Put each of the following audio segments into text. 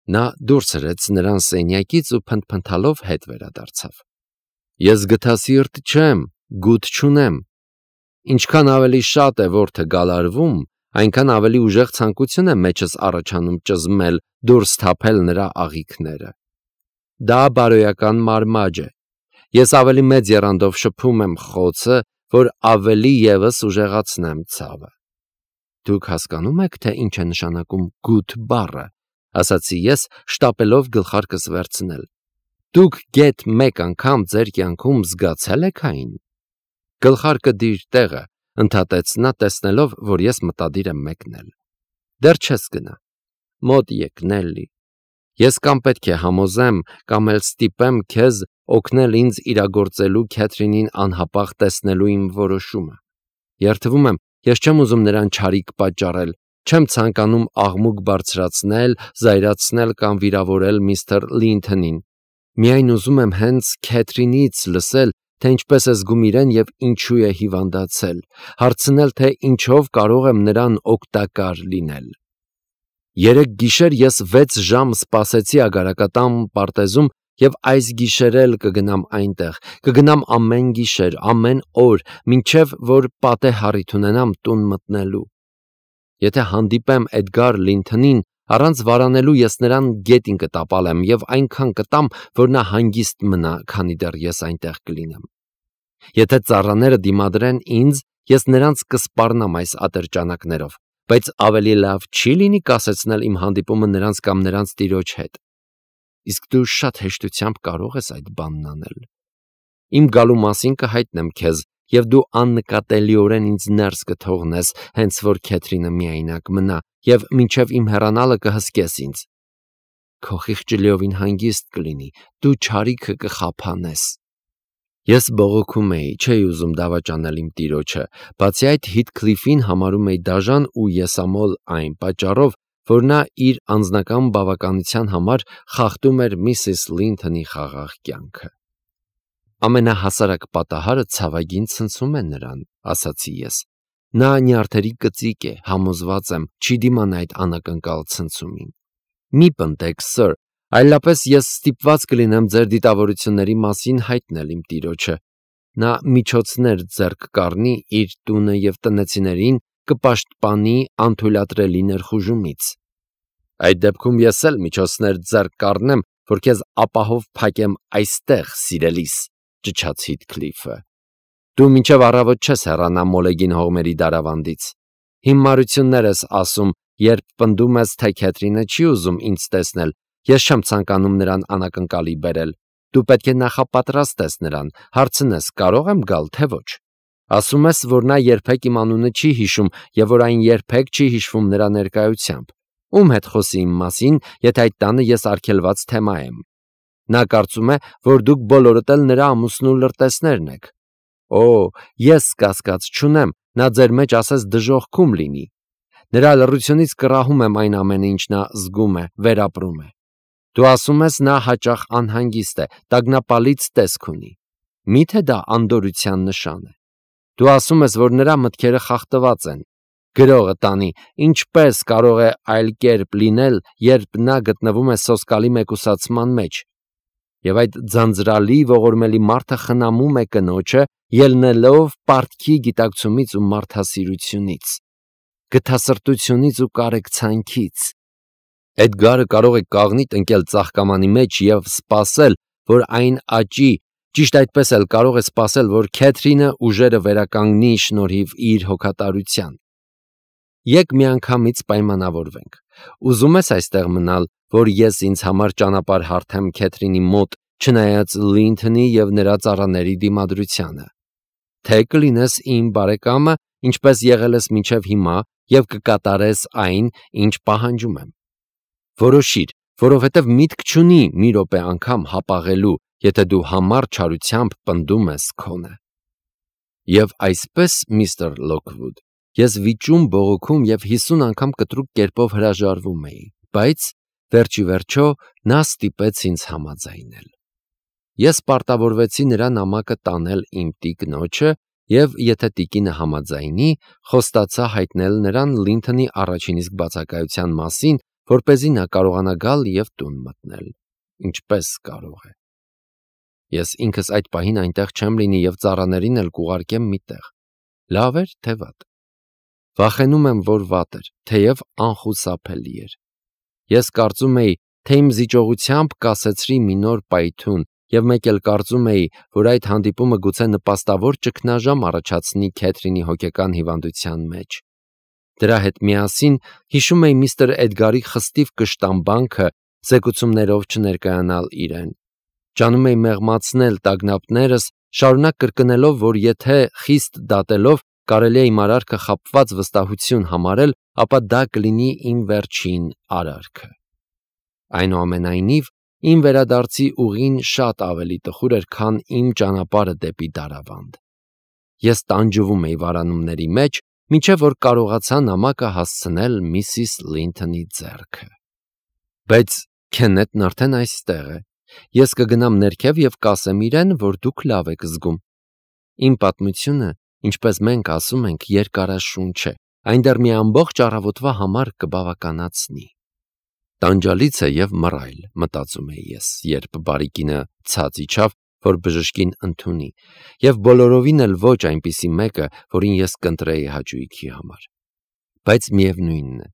Նա դուրս հրեց նրան սենյակից ու փնթփնթալով հետ վերադարձավ։ Ես գթասիրտ չեմ, գութ չունեմ։ Ինչքան ավելի շատ է որդը գալարվում, այնքան ավելի ուժեղ ցանկություն է մեջս առաջանում ճզմել, դուրս թափել նրա աղիքները։ Դա բարոյական մարմաջ է։ Ես ավելի մեծ եռանդով շփում եմ խոցը, որ ավելի ևս ուժեղացնեմ ցավը։ Դուք հասկանում եք, թե ինչ է նշանակում գութ բառը, ասացի ես, շտապելով գլխարկս վերցնել։ Դուք գեթ մեկ անգամ ձեր կյանքում զգացել եք այն։ Գլխարկը դիր տեղը, ընդհատեց նա, տեսնելով, որ ես մտադիր եմ մեկնել։ Դեռ չես գնա։ Մոտ եկ, Նելլի։ Ես կամ պետք է համոզեմ, կամ էլ ստիպեմ քեզ օգնել ինձ իրագործելու Քեթրինին անհապաղ տեսնելու իմ որոշումը։ Երդվում եմ, ես չեմ ուզում նրան չարիք պատճառել, չեմ ցանկանում աղմուկ բարձրացնել, զայրացնել կամ վիրավորել միստր Լինթոնին։ Միայն ուզում եմ հենց Քեթրինից լսել, թե ինչպես է զգում իրեն եւ ինչու է հիվանդացել, հարցնել, թե ինչով կարող եմ նրան օգտակար լինել։ Երեկ գիշեր ես 6 ժամ սպասեցի Ագարակատան պարտեզում եւ այս գիշեր էլ կգնամ այնտեղ, կգնամ ամեն գիշեր, ամեն օր, մինչեւ որ պատե հառիթ ունենամ տուն մտնելու։ Եթե հանդիպեմ Էդգար Լինթոնին, առանց վարանելու ես նրան գետին կտապալեմ եւ այնքան կտամ, որ նա հանգիստ մնա, քանի դեռ ես այնտեղ կլինեմ։ Եթե ծառաները դիմադրեն ինձ, ես նրանց կսպառնամ այս ատրճանակներով, բայց ավելի լավ չի լինի կասեցնել իմ հանդիպումը նրանց կամ նրանց տիրոջ հետ։ Իսկ դու շատ հեշտությամբ կարող ես այդ բանն անել։ Իմ գալու մասին կհայտնեմ քեզ, եւ դու աննկատելիորեն ինձ ներս կթողնես, հենց որ Քեթրինը միայնակ մնա, եւ մինչեւ իմ հեռանալը կհսկես ինձ։ Քո խիղճը լիովին հանգիստ կլինի, դու չարիքը կխափանես։ Ես բողոքում էի, չէի ուզում դավաճանել իմ տիրոջը, բացի այդ Հիթքլիֆին համարում էի դաժան ու եսամոլ այն պատճառով, որ նա իր անձնական բավականության համար խախտում էր միսիս Լինթոնի խաղաղ կյանքը։ Ամենահասարակ պատահարը ցավագին ցնցում է նրան, ասացի ես։ Նա նյարդերի կծիկ է, համոզված եմ, չի դիմանա այդ անակնկալ ցնցումին։ Մի պնդեք, սըր, այլապես ես ստիպված կլինեմ ձեր դիտավորությունների մասին հայտնել իմ տիրոջը։ Նա միջոցներ ձեռք կառնի իր տունը եւ տնեցիներին կպաշտպանի անթույլատրելի ներխուժումից։ Այդ դեպքում ես էլ միջոցներ ձեռք կառնեմ, որ քեզ ապահով փակեմ այստեղ, սիրելիս, ճչաց Հիթքլիֆը։ Դու մինչև առավոտ չես հեռանա Մոլեգին հողմերի դարավանդից։ Հիմարություններ ես ասում, երբ պնդում ես, թե Քեթրինը չի ուզում ինձ տեսնել, ես չեմ ցանկանում նրան անակնկալի բերել։ Դու պետք է նախապատրաստես նրան, հարցնես, կարող եմ գալ, թե ոչ։ Ասում ես, որ նա երբեք իմ անունը չի հիշում եւ որ այն երբեք չի հիշվում նրա ներկայությամբ։ Ում հետ խոսի իմ մասին, եթե այդ տանը ես արգելված թեմա եմ։ Նա կարծում է, որ դուք բոլորդ էլ նրա ամուսնու լրտեսներն եք։ Օ, ես կասկած չունեմ, նա ձեր մեջ ասես դժոխքում լինի։ Նրա լռությունից կռահում եմ այն ամենը, ինչ նա զգում է, վերապրում է։ Դու ասում ես, նա հաճախ անհանգիստ է, տագնապալից տեսք ունի։ Միթե դա անդորության նշան է։ Դու ասում ես, որ նրա մտքերը խախտված են։ Գրողը տանի, ինչպես կարող է այլ կերպ լինել, երբ նա գտնվում է սոսկալի մեկուսացման մեջ։ Եվ այդ ձանձրալի ողորմելի մարդը խնամում է կնոջը, ելնելով պարտքի գիտակցումից ու մարդասիրությունից, գթասրտությունից ու կարեկցանքից։ Էդգարը կարող է կաղնիտ ընկել ծաղկամանի մեջ եւ սպասել, որ այն աճի, ճիշտ այդպես էլ կարող է սպասել, որ Քեթրինը ուժերը վերականգնի շնորհիվ իր հոգատարության։ Եկ միանգամից պայմանավորվենք։ Ուզում ես այստեղ մնալ, որ ես ինձ համար ճանապարհ հարթեմ Քեթրինի մոտ, չնայած Լինթոնի եւ նրա ծառաների դիմադրությանը։ Թե կլինես իմ բարեկամը, ինչպես եղել ես մինչև հիմա, եւ կկատարես այն, ինչ պահանջում եմ։ Որոշիր, որովհետեւ միտք չունի մի րոպե անգամ հապաղելու, եթե դու համառ չարությամբ պնդում ես քոնը։ Եվ այսպես, միստր Լոքվուդ, ես վիճում, բողոքում եւ 50 անգամ կտրուկ կերպով հրաժարվում էի, բայց վերջի վերջո նա ստիպեց ինձ համաձայնել։ Ես պարտավորվեցի նրա նամակը տանել իմ տիկնոջը եւ եթե տիկինը համաձայնի, խոստացա հայտնել նրան Լինթոնի առաջին իսկ բացակայության մասին, որպեսզի նա կարողանա գալ և տուն մտնել, ինչպես կարող է։ Ես ինքս այդ պահին այնտեղ չեմ լինի և ծառաներին էլ կուղարկեմ մի տեղ։ Լավ էր, թե վատ։ Վախենում եմ, որ վատ էր, թեև անխուսափելի էր։ Ես կարծում էի, թե իմ զիջողությամբ կասեցրի մի նոր պայթյուն և մեկ էլ կարծում էի, որ այդ հանդիպումը գուցե նպաստավոր ճգնաժամ առաջացնի Քեթրինի հոգեկան հիվանդության մեջ։ Դրա հետ միասին հիշում էի միստր Էդգարի խստիվ կշտամբանքը զեկուցումներով չներկայանալ իրեն։ Ջանում էի մեղմացնել տագնապներս, շարունակ կրկնելով, որ եթե խիստ դատելով կարելի է իմ արարքը խաբված վստահություն համարել, ապա դա կլինի իմ վերջին արարքը։ Այնուամենայնիվ, իմ վերադարձի ուղին շատ ավելի տխուր էր, քան իմ ճանապարհը դեպի Դարավանդ։ Ես տանջվում էի վարանումների մեջ, մինչև որ կարողացա նամակը հասցնել միսիս Լինթոնի ձեռքը։ Բայց Քեննեթն արդեն այստեղ է։ Ես կգնամ ներքև և կասեմ իրեն, որ դուք լավ եք զգում։ Իմ պատմությունը, ինչպես մենք ասում ենք, երկարաշունչ է, այն դեռ մի ամբողջ առավոտվա համար կբավականացնի։ Տանջալից է և մռայլ, մտածում էի ես, երբ բարի կինը ցած իջավ, որ բժշկին ընդունի, և բոլորովին էլ ոչ այնպիսի մեկը, որին ես կընտրեի հաճույքի համար։ Բայց միևնույնն է,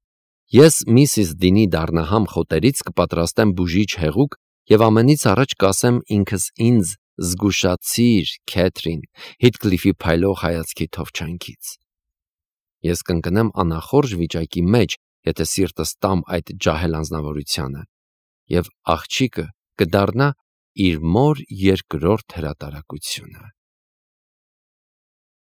ես միսիս Դինի դառնահամ խոտերից կպատրաստեմ բուժիչ հեղուկ և ամենից առաջ կասեմ ինքս ինձ. «Զգուշացիր, Քեթրին», Հիթկլիֆի փայլող հայացքի թովչանքից։ Ես կընկնեմ անախորժ վիճակի մեջ, եթե սիրտս տամ այդ ջահել անձնավորությանը, և աղջիկը կդառնա իր մոր երկրորդ հրատարակությունը։